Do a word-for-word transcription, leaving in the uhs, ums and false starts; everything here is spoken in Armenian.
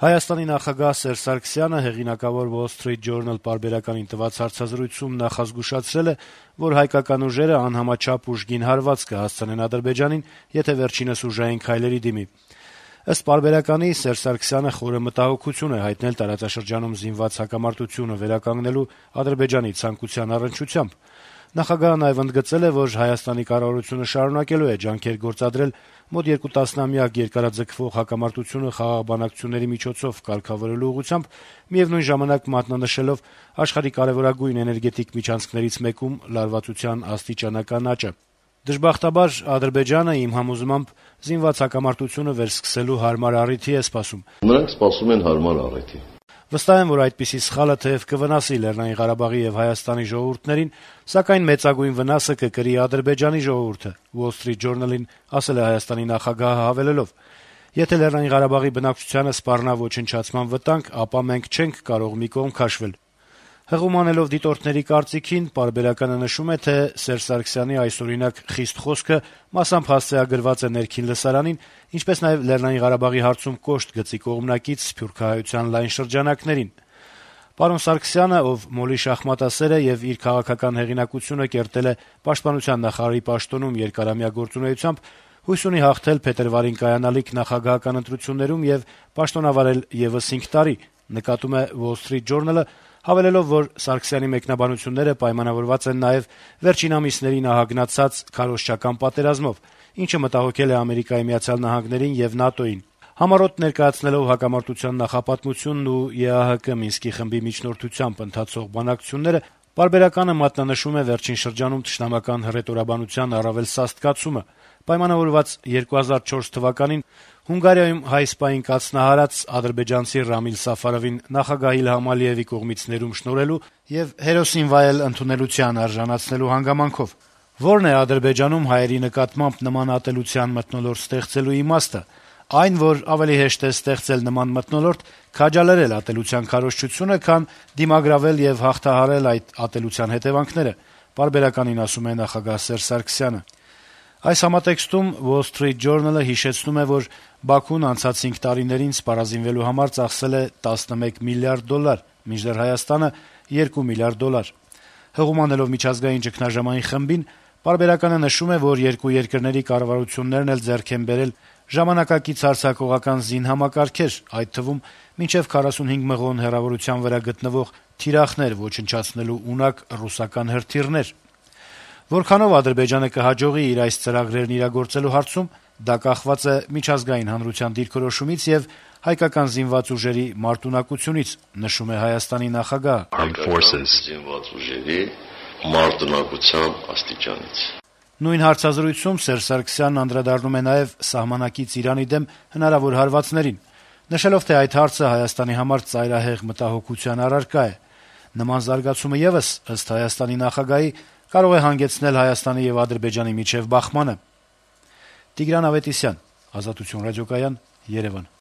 Հայաստանի նախագահ Սերժ Սարգսյանը հեղինակավոր Wall Street Journal պարբերականին տված հարցազրույցում նախազգուշացրել է, որ հայկական ուժերը անհամաչափ ուժգին հարված կհասցնեն Ադրբեջանին, եթե վերջինս ուժային քայլերի դիմի։ Ըստ պարբերականի Սերժ Սարգսյանը խորը մտահոգություն է հայտնել տարածաշրջանում զինված հակամարտությունը վերականգնելու Ադրբեջանի ցանկության առնչությամբ։ Նախագահը նաև ընդգծել է, որ Հայաստանի կառավարությունը շարունակելու է ջանքեր գործադրել մոտ երկու տասնամյակ երկարաձգվող հակամարտությունը խաղաղ բանակցությունների միջոցով կարգավորելու ուղղությամբ, միևնույն ժամանակ մատնանշելով աշխարհի կարեւորագույն էներգետիկ միջանցքներից մեկում լարվածության աստիճանական աճը։ Դժբախտաբար Ադրբեջանը, իմ համոզմամբ, զինված հակամարտությունը վերսկսելու հարմար առիթի է սպասում։ Նրանք սպասում են հարմար առիթի։ Վստահ եմ, որ այդպիսի սխալը թեև կվնասի Լեռնային Ղարաբաղի եւ Հայաստանի ժողովուրդներին, սակայն մեծագույն վնասը կկրի Ադրբեջանի ժողովուրդը, Wall Street Journal-ին ասել է Հայաստանի նախագահը հավելելով. «Եթե Լեռնային Ղարաբաղի բնակչությանը սպառնա ոչնչացման վտանգ, ապա մենք չենք կարող մի կողմ քաշվել»։ Հղում անելով դիտորդների կարծիքին, պարբերականը նշում է, թե Սերժ Սարգսյանի այսօրինակ խիստ խոսքը մասամբ հասցեագրված է ներքին լսարանին, ինչպես նաև Լեռնային Ղարաբաղի հարցում կոշտ գծի կողմնակից սփյուռքահայության լայն շրջանակներին։ Պարոն Սարգսյանը, ով մոլի շախմատասեր է եւ իր քաղաքական հեղինակությունը կերտել է պաշտպանության նախարարի պաշտոնում երկարամյա գործունեությամբ, հույս ունի հաղթել փետրվարին կայանալիք նախագահական ընտրություններում եւ պաշտոնավարել եւս հինգ տարի, նկատում է Wall Street Journal-ը, հավելելով, որ Սարգսյանի մեկնաբանությունները պայմանավորված են նաեւ վերջին ամիսներին ահագնացած քարոզչական պատերազմով, ինչը մտահոգել է Ամերիկայի Միացյալ Նահանգներին եւ ՆԱՏՕ-ին։ Համառոտ ներկայացնելով հակամարտության նախապատմությունն ու ԵԱՀԿ Մինսկի խմբի միջնորդությամբ ընթացող բանակցությունները, պարբերականը մատնանշում է վերջին շրջանում թշնամական հռետորաբանության առավել սաստկացումը, պայմանավորված երկու հազար չորս թվականին Հունգարիայում հայ սպային կաթնահարած ադրբեջանցի Ռամիլ Սաֆարովին նախագահ Իլհամ Ալիևի կողմից ներում շնորհելու եւ հերոսին վայել ընդունելության արժանացնելու հանգամանքով։ Որն է Ադրբեջանում հայերի նկատմամբ նման ատելության մթնոլորտ ստեղծելու իմաստը։ Այն, որ ավելի հեշտ է ստեղծել նման մթնոլորտ, քաջալերել ատելության քարոզչությունը, քան դիմագրավել եւ հաղթահարել այդ ատելության հետեւանքները, պարբերականին ասում է նախագահ Սերժ Սարգսյանը։ Այս համատեքստում Wall Street Journal-ը հիշեցնում է, որ Բաքուն անցած հինգ տարիներին սպառազինվելու համար ծախսել է տասնմեկ միլիարդ դոլար, մինչդեռ Հայաստանը երկու միլիարդ դոլար։ Հղում անելով միջազգային ճգնաժամային խմբին, պարբերականը նշում է, որ երկու երկրների կառավարություններն էլ ձեռք են բերել ժամանակակից հարձակողական զինհամակարգեր, այդ թվում մինչև քառասունհինգ մղոն հեռավորության վրա գտնվող թիրախներ ոչնչացնելու ունակ ռուսական հրթիռներ։ Որքանով Ադրբեջանը կհաջողի իր այս ծրագրերն իրագործելու հարցում, դա կախված է միջազգային հանրության դիրքորոշումից եւ հայկական զինված ուժերի մարտունակությունից, նշում է Հայաստանի նախագահը։ Հայկական զինված ուժերի մարտունակության աստիճանից։ Նույն հարցազրույցում Սերժ Սարգսյանն անդրադառնում է նաեւ սահմանակից Իրանի դեմ հնարավոր հարվածներին, նշելով, թե այդ հարցը Հայաստանի համար ծայրահեղ մտահոգության առարկա է։ Նման զարգացումը եւս, ըստ Հայաստանի նախագահի, կարող է հանգեցնել Հայաստանի եւ Ադրբեջանի միջեւ բախմանը։ Տիգրան Ավետիսյան, Ազատություն ռադիոկայան, Երևան։